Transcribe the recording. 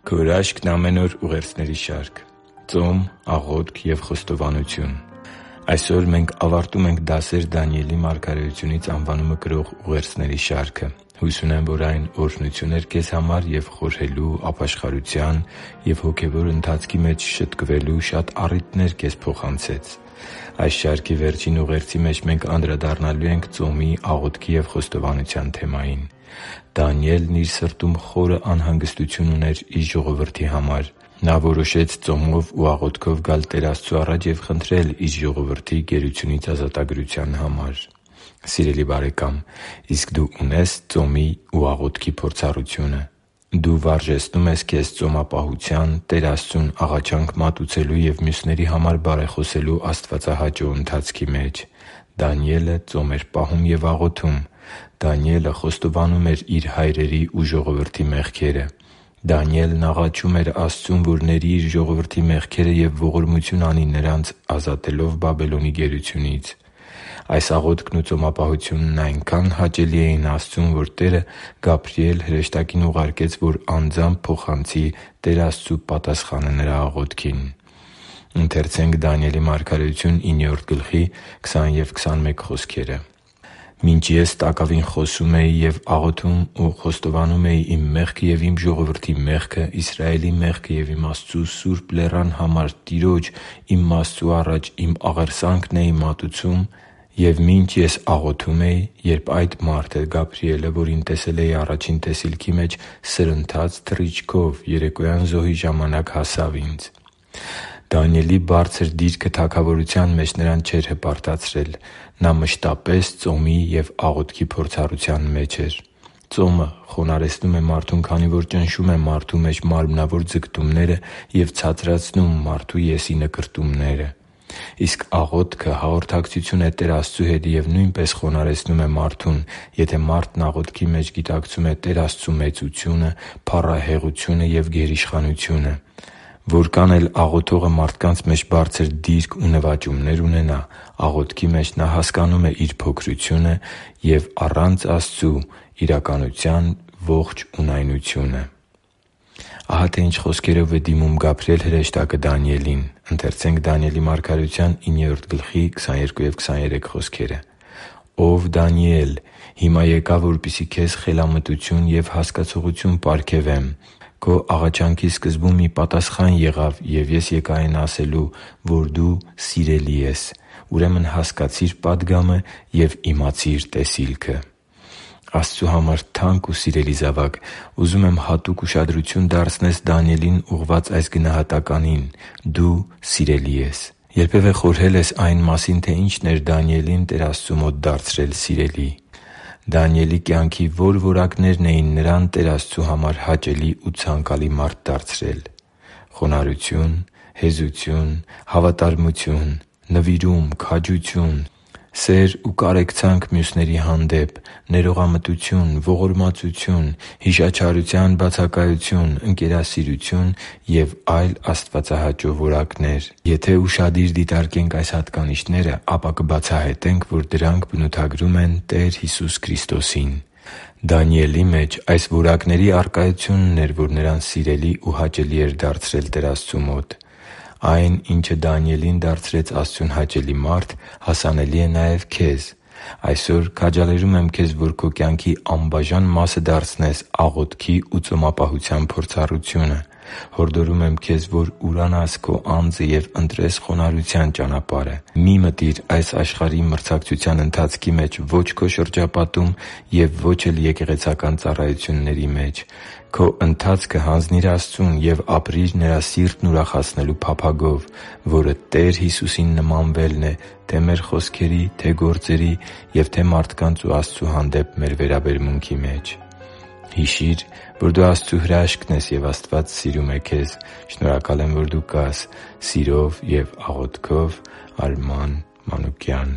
Քո հրաշքն ամեն օր ուղերձների շարք։ Ծոմ, աղոթք և խոստովանություն։ Այսօր մենք ավարտում ենք «Դասեր Դանիելի մարգարեությունից» անվանումը կրող ուղերձների շարքը։ Հույս ունեմ, որ այն օրհնություն էր քեզ համար և խորհելու, ապաշխարության և հոգևոր ընթացքի մեջ շտկվելու շատ առիթներ քեզ փոխանցեց։ Այս շարքի վերջին ուղերձի մեջ մենք անդրադառնալու ենք ծոմի, աղոթքի և խոստովանության թեմային։ Դանիելն իր սրտում խորը անհանգստություն ուներ իր ժողովրդի համար։ Նա որոշեց ծոմով ու աղոթքով գալ Տեր Աստծու առաջ և խնդրել իր ժողովրդի գերությունից ազատագրության համար։ Սիրելի՛ բարեկամ, իսկ դու ունե՞ս ծոմի ու աղոթքի փորձառությունը։ Դու վարժեցնո՞ւմ ես քեզ ծոմապահության, Տեր Աստծուն աղաչանք մատուցելու և մյուսների համար բարեխոսելու աստվածահաճո ընթացքի մեջ։ Դանիելը ծոմ էր պահում և աղոթում։ Դանիելը խոստովանում էր իր հայրերի ու ժողովրդի մեղքերը։ Դանիելն աղաչում էր Աստծուն, որ ների իր ժողովրդի մեղքերը և ողորմություն անի նրանց՝ ազատելով Բաբելոնի գերությունից։ Այս աղոթքն ու ծոմապահությունն այնքան հաճելի էին Աստծուն, որ Տերը Գաբրիել հրեշտակին ուղարկեց, որ անձամբ փոխանցի Տեր Աստծու պատասխանը նրա աղոթքին։ «Մինչ ես տակավին խոսում էի և աղոթում ու խոստովանում էի իմ մեղքը և իմ ժողովրդի մեղքը, Իսրայելի մեղքը և իմ Աստծու սուրբ լեռան համար Տիրոջ՝ իմ Աստծու առաջ իմ աղերսանքն էի մատուցում, և մինչ ես աղոթում էի, երբ այդ մարդը՝ Գաբրիելը, որին տեսել էի առաջին տեսիլքի մեջ, սրընթաց թռիչքով երեկոյան զոհի ժամանակ հասավ ինձ» (Դանիել 9․20-21): Դանիելի բարձր դիրքը թագավորության մեջ նրան չէր հպարտացրել։ Նա մշտապես ծոմի և աղոթքի փորձառության մեջ էր։ Ծոմը խոնարհեցնում է մարդուն, քանի որ ճնշում է մարդու մեջ մարմնավոր ձգտումները և ցածրացնում մարդու ես-ի նկրտումները։ Իսկ աղոթքը հաղորդակցություն է Տեր Աստծու հետ և նույնպես խոնարհեցնում է մարդուն, եթե մարդն աղոթքի մեջ գիտակցում է Տեր Աստծու մեծությունը, փառահեղությունը և գերիշխանությունը։ Որքան էլ աղոթողը մարդկանց մեջ բարձր դիրք ու նվաճումներ ունենա, աղոթքի մեջ նա հասկանում է իր փոքրությունը և առանց Աստծու իրականության ողջ ունայնությունը։ Ահա թե ինչ խոսքերով է դիմում Գաբրիել հրեշտակը Դանիելին։ «Ո՛վ Դանիել, հիմա եկա, որպեսզի քեզ խելամտություն և հասկացողություն պարգևեմ։ Քո աղաչանքի սկզբում մի պատասխան եղավ, և ես եկա այն ասելու, որ դու սիրելի ես։ Ուրեմն հասկացի՛ր պատգամը և իմացի՛ր տեսիլքը»։ Աստծու համար թանկ ու սիրելի՛ զավակ, ուզում եմ հատուկ ուշադրություն դարձնես Դանիելին ուղղված այս գնահատականին՝ դու սիրելի ես։ Երբևէ խորհե՞լ ես այն մասին, թե ի՞նչն էր Դանիելին Տեր Աստծու մոտ դարձրել սիրելի։ Դանիելի կյանքի ո՞ր որակներն էին նրան Տեր Աստծու համար հաճելի ու ցանկալի մարդ դարձրել։ Խոնարհություն, հեզություն, հավատարմություն, նվիրում, քաջություն, սեր ու կարեկցանք մյուսների հանդեպ, ներողամտություն, ողորմածություն, հիշաչարության բացակայություն, ընկերասիրություն և այլ աստվածահաճո որակներ։ Եթե ուշադիր դիտարկենք այս հատկանիշները, ապա կբացահայտենք, որ դրանք բնութագրում են Տեր Հիսուս Քրիստոսին։ Դանիելի մեջ այս որակների առկայությունն էր, որ նրան սիրելի ու հաճելի էր դարձրել Տեր Աստծու մոտ։ Այն, ինչը Դանիելին դարձրեց Աստծուն հաճելի մարդ, հասանելի է նաև քեզ։ Այսօր քաջալերում եմ քեզ, որ քո կյանքի անբաժան մասը դարձնես աղոթքի ու ծոմապահության փորձառությունը։ Հորդորում եմ քեզ, որ ուրանաս քո անձը և ընտրես խոնարհության ճանապարհը։ Մի՛ մտիր այս աշխարհի մրցակցության ընթացքի մեջ ո՛չ քո շրջապատում և ո՛չ էլ եկեղեցական ծառայությունների մեջ։ Քո ընթացքը հանձնի՛ր Աստծուն և ապրի՛ր Նրա սիրտն ուրախացնելու փափագով, որը Տեր Հիսուսին նմանվելն է թե՛ մեր խոսքերի, թե՛ գործերի և թե՛ մարդկանց ու Աստծու հանդեպ մեր վերաբերմունքի մեջ։ Հիշի՛ր, որ դու Աստծո հրաշքն ես, և Աստված սիրում է քեզ։ Շնորհակալ եմ, որ դու կա՛ս։ Սիրով և աղոթքով, Արման Մանուկյան։